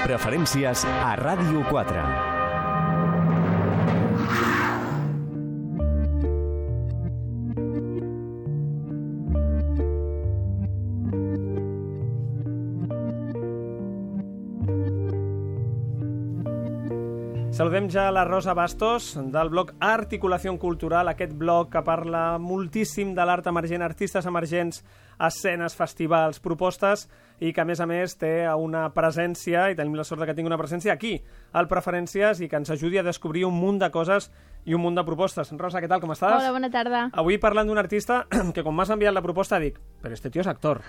Preferències a Ràdio 4. Saludem ja la Rosa Bastos, del blog Articulació Cultural, aquest blog que parla moltíssim de l'art emergent, artistes emergents, escenes, festivals, propostes, i que, a més, té una presència, i tenim la sort que tingui una presència aquí, al Preferències, i que ens ajudi a descobrir un munt de coses i un munt de propostes. Rosa, què tal, com estàs? Hola, bona tarda. Avui parlant d'un artista que, quan m'has enviat la proposta, dic, però este tio és actor.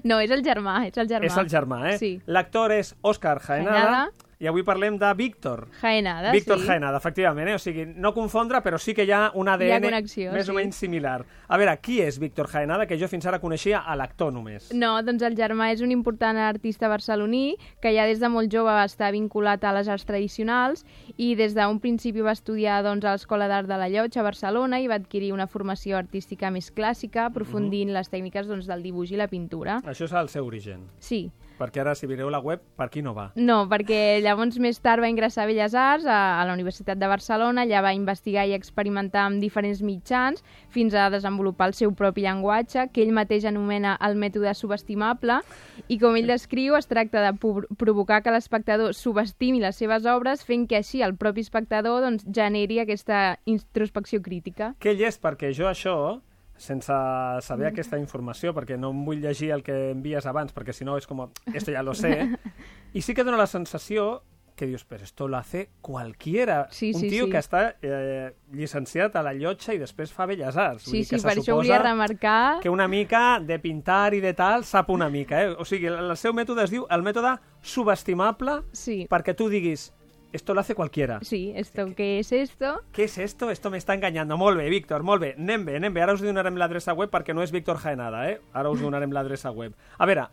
No, és el germà, és el germà. És el germà, eh? Sí. L'actor és Òscar Jaenada. I avui parlem de Víctor. Jaenada, Víctor sí. Jaenada, efectivament, O sigui, no confondre, però sí que hi ha un ADN connexió, més o menys similar. A veure, qui és Víctor Jaenada, que jo fins ara coneixia a l'actor només? No, doncs el germà és un important artista barceloní que ja des de molt jove va estar vinculat a les arts tradicionals i des d'un principi va estudiar a l'Escola d'Art de la Llotja a Barcelona i va adquirir una formació artística més clàssica, aprofundint les tècniques del dibuix i la pintura. Això és el seu origen. Sí. Perquè ara, si mireu la web, per aquí no va. No, perquè llavors més tard va ingressar a Belles Arts a la Universitat de Barcelona, allà va investigar i experimentar amb diferents mitjans fins a desenvolupar el seu propi llenguatge, que ell mateix anomena el mètode subestimable, i com ell descriu, es tracta de provocar que l'espectador subestimi les seves obres, fent que així el propi espectador generi aquesta introspecció crítica. Què ell és? Perquè jo això, sense saber aquesta informació, perquè no em vull llegir el que envies abans, perquè si no és com, esto ya lo sé, i sí que dona la sensació que dius, però esto lo hace cualquiera. Sí, un tio que està llicenciat a la Llotja i després fa Belles Arts. Sí, sí, per això volia remarcar que una mica de pintar i de tal sap una mica. O sigui, el seu mètode es diu el mètode subestimable, perquè tu diguis, esto lo hace cualquiera. Sí, ¿qué es esto? ¿Qué es esto? Esto me está engañando. Molt bé, Víctor, molt bé. Anem bé. Ara us donarem l'adreça web perquè no és Víctor Jaenada, Ara us donarem l'adreça web. A veure,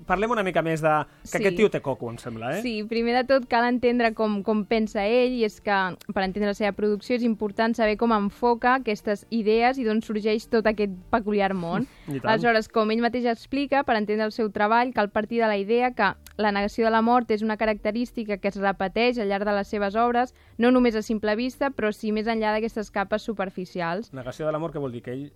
parlem una mica més de... que aquest tio té coco, em sembla, Sí, primer de tot cal entendre com pensa ell, i és que per entendre la seva producció és important saber com enfoca aquestes idees i d'on sorgeix tot aquest peculiar món. Aleshores, com ell mateix explica, per entendre el seu treball cal partir de la idea que la negació de la mort és una característica que es repeteix al llarg de les seves obres, no només a simple vista, però sí més enllà d'aquestes capes superficials. Negació de la mort, què vol dir? Que ell...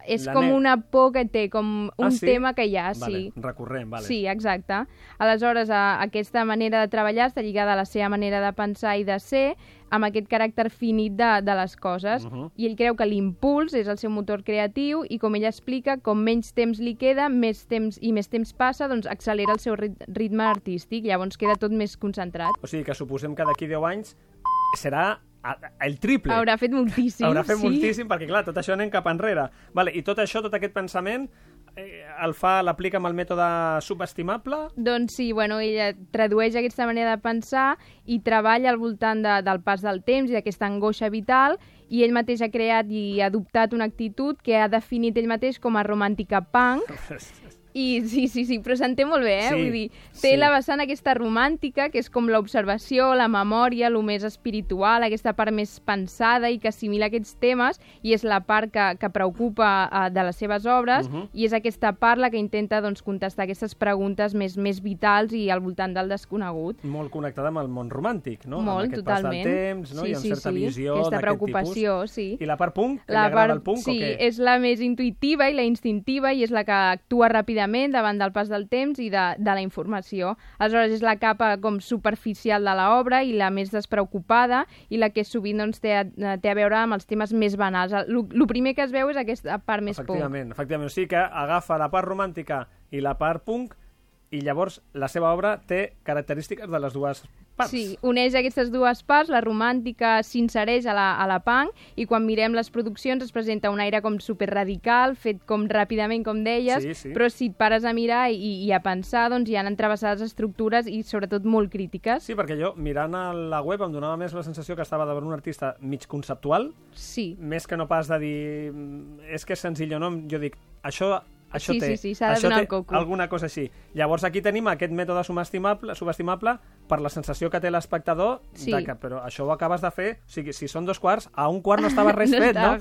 És com una por que té, com un tema que hi ha, sí. Recurrent, vale. Sí, exacte. Aleshores, aquesta manera de treballar està lligada a la seva manera de pensar i de ser, amb aquest caràcter finit de les coses. I ell creu que l'impuls és el seu motor creatiu i, com ell explica, com menys temps li queda, més temps passa, doncs accelera el seu ritme artístic, llavors queda tot més concentrat. O sigui que suposem que d'aquí 10 anys serà el triple. Haurà fet moltíssim. Haurà fet moltíssim, perquè clar, tot això anem cap enrere. Vale, i tot això, tot aquest pensament, l'aplica amb el mètode subestimable? Doncs sí, ell tradueix aquesta manera de pensar i treballa al voltant del pas del temps i d'aquesta angoixa vital, i ell mateix ha creat i ha adoptat una actitud que ha definit ell mateix com a romàntica punk. I sí, però s'entén molt bé, Sí, vull dir, té la vessant aquesta romàntica, que és com l'observació, la memòria, el més espiritual, aquesta part més pensada i que assimila aquests temes, i és la part que preocupa de les seves obres, i és aquesta part la que intenta contestar aquestes preguntes més vitals i al voltant del desconegut. Molt connectada amb el món romàntic, no? Molt, amb aquest totalment. Pas del temps, no? I amb certa visió aquesta d'aquest preocupació, tipus. sí. I la part punk? Que li agrada el punk o què? Sí, és la més intuïtiva i la instintiva, i és la que actua ràpidament davant del pas del temps i de la informació. Aleshores, és la capa com superficial de l'obra i la més despreocupada, i la que sovint té a veure amb els temes més banals. El primer que es veu és aquesta part més punk. Efectivament. O sigui que agafa la part romàntica i la part punk, i llavors la seva obra té característiques de les dues parts. Sí, uneix aquestes dues parts, la romàntica s'insereix a la punk, i quan mirem les produccions es presenta un aire com superradical, fet com ràpidament, com deies, però si et pares a mirar i a pensar, doncs hi han entrevessades estructures i sobretot molt crítiques. Sí, perquè jo, mirant a la web, em donava més la sensació que estava de veure un artista mig conceptual, sí. Més que no pas de dir és que és senzill o no, jo dic, això Això Sí, s'ha de donar el coco. Alguna cosa així. Llavors aquí tenim aquest mètode subestimable per la sensació que té l'espectador que, però això ho acabes de fer, o sigui, si són 2 quarts, a 1 quart no estava res fet, no?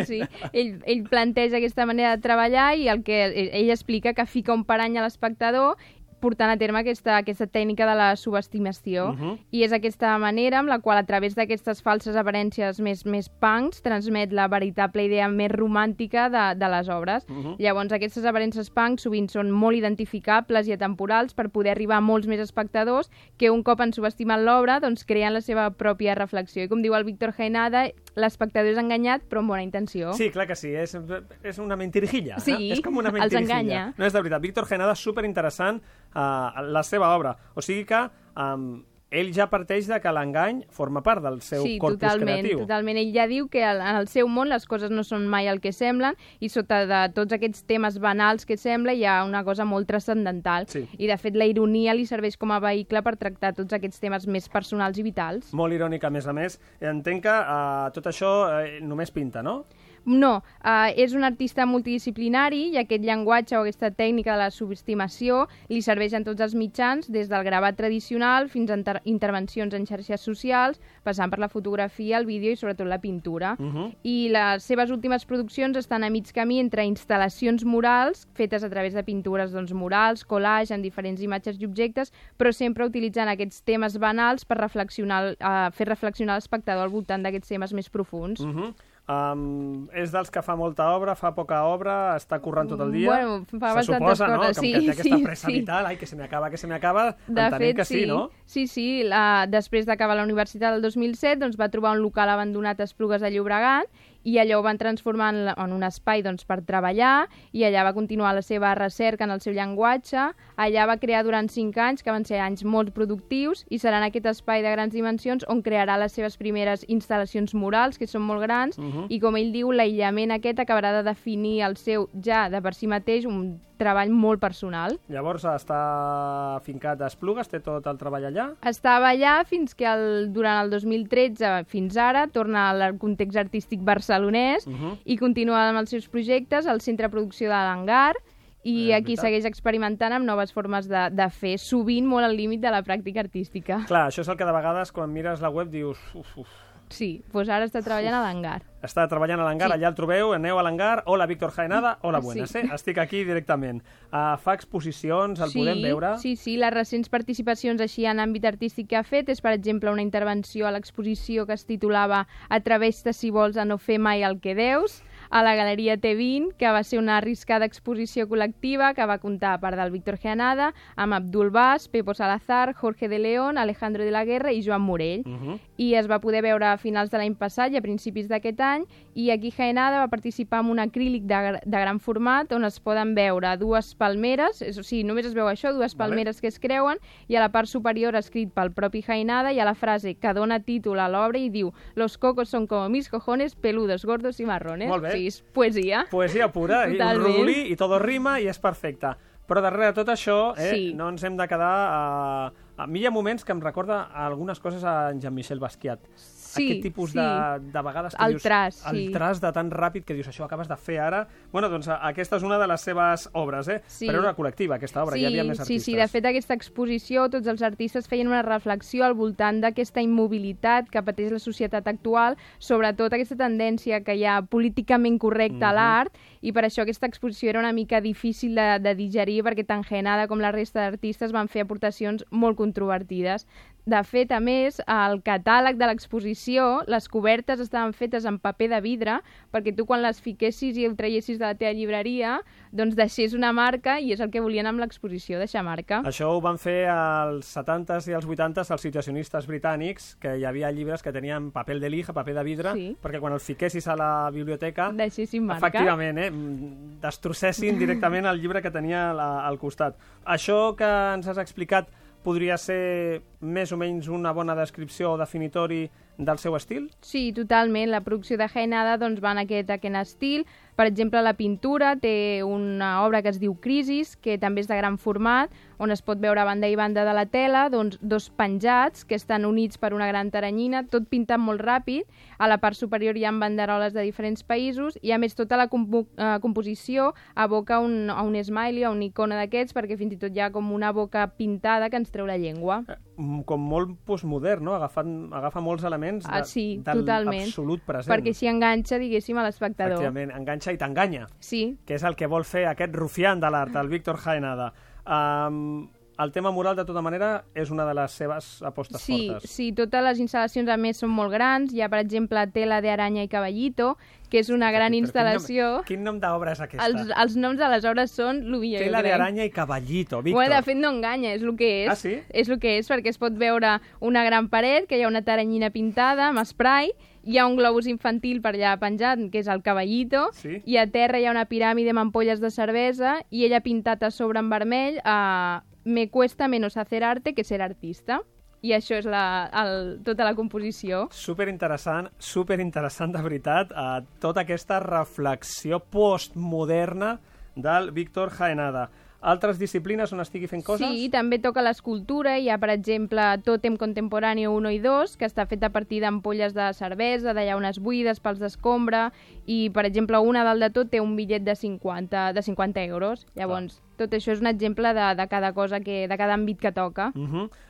Sí. Ell planteja aquesta manera de treballar i el que ell explica que fica un parany a l'espectador portant a terme aquesta tècnica de la subestimació. I és aquesta manera amb la qual, a través d'aquestes falses aparències més punks, transmet la veritable idea més romàntica de les obres. Llavors, aquestes aparences punks sovint són molt identificables i atemporals per poder arribar a molts més espectadors que un cop han subestimat l'obra, doncs creen la seva pròpia reflexió. I com diu el Víctor Jaenada, l'espectador és enganyat, però amb bona intenció. Sí, clar que sí, és una mentirijilla. Sí, és com una mentirijilla. els enganya. No, és de veritat. Víctor Jaenada, superinteressant la seva obra. O sigui que ell ja parteix de que l'engany forma part del seu corpus creatiu. Sí, totalment. Ell ja diu que en el seu món les coses no són mai el que semblen i sota de tots aquests temes banals que sembla hi ha una cosa molt transcendental. Sí. I, de fet, la ironia li serveix com a vehicle per tractar tots aquests temes més personals i vitals. Molt irònic, a més. Entenc que tot això només pinta, no? No, és un artista multidisciplinari i aquest llenguatge o aquesta tècnica de la subestimació li serveix en tots els mitjans, des del gravat tradicional fins a intervencions en xarxes socials, passant per la fotografia, el vídeo i sobretot la pintura. I les seves últimes produccions estan a mig camí entre instal·lacions murals, fetes a través de pintures murals, collage en diferents imatges i objectes, però sempre utilitzant aquests temes banals per fer reflexionar l'espectador al voltant d'aquests temes més profuns. És dels que fa molta obra, fa poca obra, està currant tot el dia. Bueno, fa bastantes suposa, coses. No? Com que té aquesta pressa vital, que se m'acaba, entenem que sí, no? Sí, després d'acabar la universitat el 2007 doncs, va trobar un local abandonat a Esplugues de Llobregat i allò ho van transformar en un espai per treballar i allà va continuar la seva recerca en el seu llenguatge. Allà va crear durant 5 anys, que van ser anys molt productius, i serà en aquest espai de grans dimensions on crearà les seves primeres instal·lacions murals, que són molt grans, i com ell diu, l'aïllament aquest acabarà de definir el seu, ja de per si mateix, un treball molt personal. Llavors està fincat a Esplugues, té tot el treball allà? Estava allà fins que durant el 2013 fins ara torna al context artístic barcelonès i continua amb els seus projectes al Centre de Producció de l'Hangar i aquí segueix experimentant amb noves formes de fer, sovint molt al límit de la pràctica artística. Clar, això és el que de vegades quan mires la web dius... Sí, doncs ara està treballant a l'Hangar. Està treballant a l'Hangar, allà el trobeu, aneu a l'Hangar, hola Víctor Jaenada, hola buenas, estic aquí directament. Fa exposicions, el podem veure? Sí, les recents participacions així en àmbit artístic que ha fet és, per exemple, una intervenció a l'exposició que es titulava Atreveix-te si vols a no fer mai el que deus, a la Galeria T20, que va ser una arriscada exposició col·lectiva que va comptar, a part del Víctor Jaenada, amb Abdul Bas, Pepo Salazar, Jorge de León, Alejandro de la Guerra i Joan Morell. I es va poder veure a finals de l'any passat i a principis d'aquest any, i aquí Jaenada va participar en un acrílic de gran format on es poden veure 2 palmeres, o sigui, només es veu això, 2 palmeres que es creuen, i a la part superior escrit pel propi Jaenada hi ha la frase que dona títol a l'obra i diu «Los cocos son como mis cojones, peludos, gordos y marrones». Molt bé. Sí, és poesia. Poesia pura, i un rodolí i tot rima i és perfecte. Però darrere de tot això no ens hem de quedar... A mi hi ha moments que em recorda algunes coses a en Jean-Michel Basquiat. Aquest tipus de vegades que dius... El traç de tan ràpid que dius, això ho acabes de fer ara. Bueno, doncs aquesta és una de les seves obres, però era col·lectiva, aquesta obra, hi havia més artistes. Sí, de fet, aquesta exposició, tots els artistes feien una reflexió al voltant d'aquesta immobilitat que pateix la societat actual, sobretot aquesta tendència que hi ha políticament correcta a l'art, i per això aquesta exposició era una mica difícil de digerir, perquè tant Jaenada com la resta d'artistes van fer aportacions molt controvertides. De fet, a més, al catàleg de l'exposició, les cobertes estaven fetes en paper de vidre perquè tu quan les fiquessis i ho traiessis de la teva llibreria, doncs deixés una marca i és el que volien amb l'exposició, deixar marca. Això ho van fer als 70s i als 80s els situacionistes britànics, que hi havia llibres que tenien paper de lija, paper de vidre, perquè quan els fiquessis a la biblioteca, deixessin marca. Efectivament, destrossessin directament el llibre que tenia al costat. Això que ens has explicat podria ser més o menys una bona descripció o definitori del seu estil? Sí, totalment. La producció de Jaenada va en aquest estil. Per exemple, la pintura té una obra que es diu Crisis, que també és de gran format, on es pot veure a banda i banda de la tela doncs, dos penjats que estan units per una gran taranyina, tot pintat molt ràpid. A la part superior hi ha banderoles de diferents països i, a més, tota la composició aboca a un smiley, a una icona d'aquests, perquè fins i tot hi ha com una boca pintada que ens treu la llengua. Com molt postmodern, no? Agafa molts elements sí, del totalment. Absolut present. Perquè així enganxa, diguéssim, a l'espectador. Efectivament, enganxa i t'enganya. Sí. Que és el que vol fer aquest rufián de l'art, el Víctor Jaenada. El tema mural, de tota manera, és una de les seves apostes fortes. Sí, totes les instal·lacions, a més, són molt grans. Hi ha, per exemple, Tela de Araña i Caballito, que és una gran instal·lació. Quin nom d'obra és aquesta? Els noms de les obres són el millor. Tela de Araña i Caballito, Víctor. Bueno, de fet, no enganya, és el que és. Ah, sí? És el que és, perquè es pot veure una gran paret, que hi ha una taranyina pintada amb spray, hi ha un globus infantil per allà penjat, que és el Caballito, sí? I a terra hi ha una piràmide amb ampolles de cervesa, i ella ha pintat a sobre en vermell Me cuesta menos hacer arte que ser artista. I això és tota la composició. Superinteressant de veritat, tota aquesta reflexió postmoderna del Víctor Jaenada. Altres disciplines on estigui fent coses? Sí, també toca l'escultura. Hi ha, per exemple, Tòtem Contemporáneo 1 i 2, que està fet a partir d'ampolles de cervesa, de llaunes buides, pals d'escombra, i, per exemple, una dalt de tot té un bitllet de 50 euros. Llavors, tot això és un exemple de cada cosa, de cada àmbit que toca.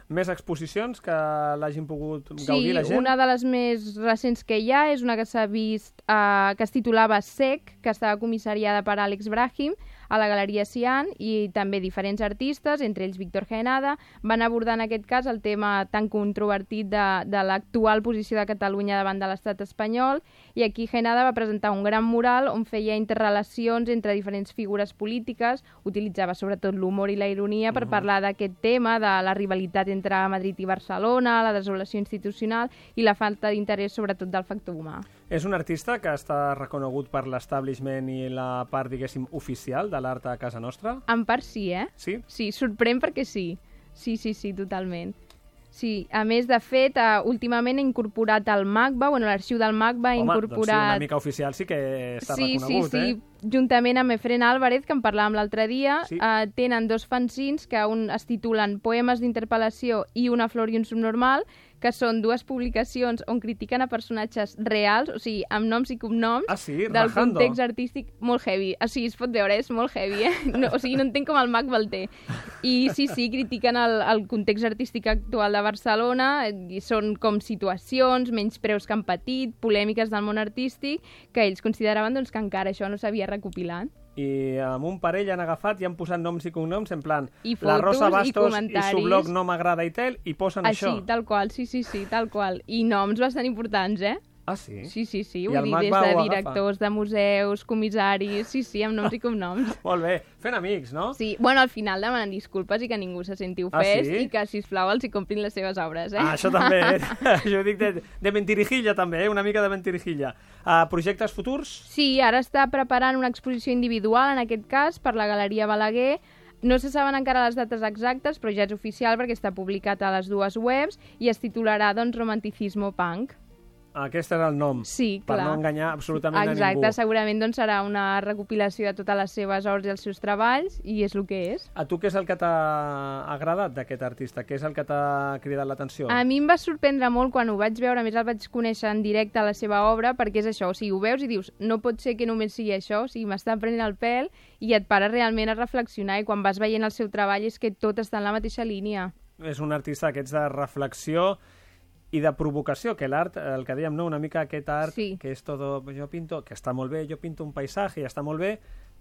Més exposicions que l'hagin pogut gaudir la gent? Sí, una de les més recents que hi ha és una que s'ha vist, que es titulava Sec, que estava comissariada per Àlex Brahim, a la Galeria Cian, i també diferents artistes, entre ells Víctor Jaenada, van abordar en aquest cas el tema tan controvertit de l'actual posició de Catalunya davant de l'estat espanyol, i aquí Jaenada va presentar un gran mural on feia interrelacions entre diferents figures polítiques, utilitzava sobretot l'humor i la ironia per parlar d'aquest tema, de la rivalitat entre Madrid i Barcelona, la desolació institucional i la falta d'interès sobretot del factor humà. És un artista que està reconegut per l'establishment i la part, diguéssim, oficial de l'art a casa nostra? En part sí, Sí? Sí, sorprèn perquè sí. Sí, totalment. Sí, a més, de fet, últimament ha incorporat el MACBA, l'arxiu del MACBA ha incorporat... Doncs sí, una mica oficial sí que està reconegut, Sí, juntament amb Efren Álvarez, que en parlàvem l'altre dia, tenen dos fanzins que un es titulen Poemes d'interpel·lació i Una flor i un subnormal, que són dues publicacions on critiquen a personatges reals, o sigui, amb noms i cognoms, del context artístic molt heavy. O sigui, es pot veure, és molt heavy, No, o sigui, no entenc com el MACBA el té. I sí, critiquen el context artístic actual de Barcelona, i són com situacions, menyspreus que han patit, polèmiques del món artístic, que ells consideraven doncs, que encara això no s'havia recopilat. I amb un parell han agafat i han posat noms i cognoms, en plan, I fotos, la Rosa Bastos i su blog no m'agrada i tel, i posen això. Així, tal qual, sí, tal qual. I noms bastant importants, Ah, sí? Sí, vull dir, des de directors de museus, comissaris, amb noms i cognoms. Molt bé, fent amics, no? Sí, bueno, al final demanen disculpes i que ningú se senti ofès i que, sisplau, els hi comprin les seves obres, això també, Jo dic de mentirijilla, també, una mica de mentirijilla. Projectes futurs? Sí, ara està preparant una exposició individual, en aquest cas, per la Galeria Balaguer. No se saben encara les dates exactes, però ja és oficial perquè està publicat a les dues webs i es titularà, doncs, Romanticismo Punk. Aquest és el nom, sí, per no enganyar absolutament a ningú. Exacte, segurament doncs, serà una recopilació de totes les seves obres i els seus treballs, i és el que és. A tu què és el que t'ha agradat d'aquest artista? Què és el que t'ha cridat l'atenció? A mi em va sorprendre molt quan ho vaig veure, a més el vaig conèixer en directe a la seva obra, perquè és això, o sigui, ho veus i dius, no pot ser que només sigui això, o sigui, m'està prenent el pèl i et para realment a reflexionar, i quan vas veient el seu treball és que tot està en la mateixa línia. És un artista d'aquests de reflexió i de provocació, que l'art, el que dèiem, no? Una mica aquest art que és todo, jo pinto, que està molt bé, jo pinto un paisatge i està molt bé,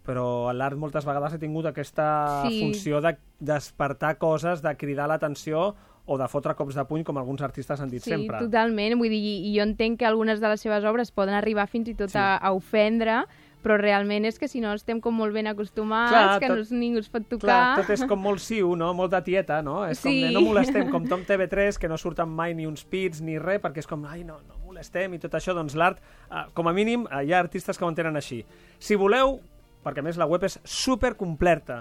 però l'art moltes vegades ha tingut aquesta funció de despertar coses, de cridar l'atenció o de fotre cops de puny, com alguns artistes han dit sempre. Sí, totalment, vull dir, i jo entenc que algunes de les seves obres poden arribar fins i tot a ofendre, però realment és que si no estem com molt ben acostumats, que ningú es pot tocar... Clar, tot és com molt siu, no? Molt de tieta, no? És com de no molestem, com Tom TV3, que no surten mai ni uns pits ni res, perquè és com, ai, no molestem i tot això, doncs l'art, com a mínim, hi ha artistes que ho entenen així. Si voleu, perquè a més la web és supercompleta,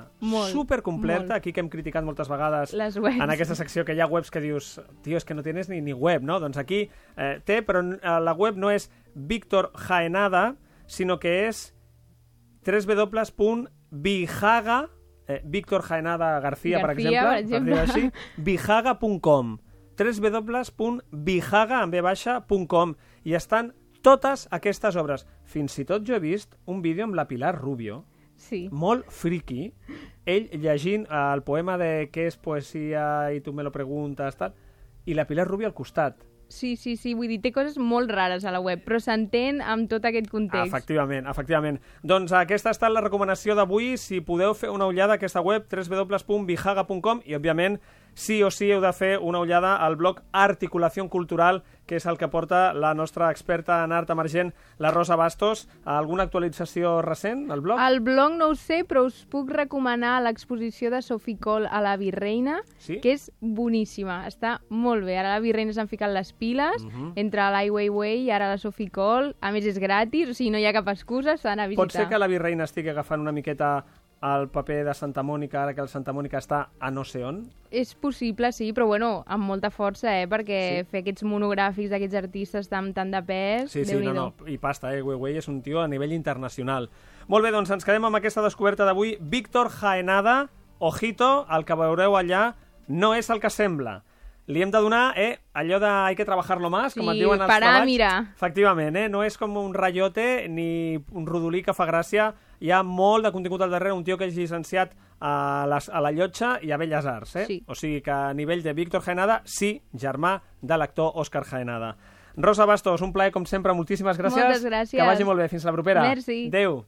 supercompleta, aquí que hem criticat moltes vegades en aquesta secció que hi ha webs que dius, tio, és que no tienes ni web, no? Doncs aquí té, però la web no és Víctor Jaenada, sinó que és www.bijaga, Víctor Jaenada García, per exemple, així, bijaga.com, www.bijaga.com, i estan totes aquestes obres. Fins i tot jo he vist un vídeo amb la Pilar Rubio, molt friki, ell llegint el poema de Què és poesia i tu me lo preguntes, tal, i la Pilar Rubio al costat. Sí, vull dir, té coses molt rares a la web, però s'entén amb tot aquest context. Efectivament. Doncs aquesta ha estat la recomanació d'avui. Si podeu fer una ullada a aquesta web, www.bijaga.com, i, òbviament, sí o sí heu de fer una ullada al blog Articulació Cultural, que és el que porta la nostra experta en art emergent, la Rosa Bastos. Alguna actualització recent al blog? Al blog no ho sé, però us puc recomanar l'exposició de Sophie Coll a la Virreina, que és boníssima, està molt bé. Ara la Virreina s'han ficat les piles, entre l'Ai Weiwei i ara la Sophie Coll. A més, és gratis, o sigui, no hi ha cap excusa, s'han a visitar. Pot ser que la Virreina estigui agafant una miqueta el paper de Santa Mònica, ara que el Santa Mònica està a no sé on? És possible, sí, però bueno, amb molta força, perquè fer aquests monogràfics d'aquests artistes tan de pes, Déu-n'hi-do. I pasta, Weiwei és un tio a nivell internacional. Molt bé, doncs ens quedem amb aquesta descoberta d'avui. Víctor Jaenada, ojito, el que veureu allà no és el que sembla. Li hem de donar allò de hay que trabajarlo más, com et diuen els treballs. Mirar. Efectivament, no és com un rayote ni un rodolí que fa gràcia. Hi ha molt de contingut al darrere, un tio que és llicenciat a la Llotja i a Belles Arts. O sigui que a nivell de Víctor Jaenada, sí, germà de l'actor Òscar Jaenada. Rosa Bastos, un plaer com sempre, moltíssimes gràcies. Moltes gràcies. Que vagi molt bé, fins la propera. Merci. Adéu.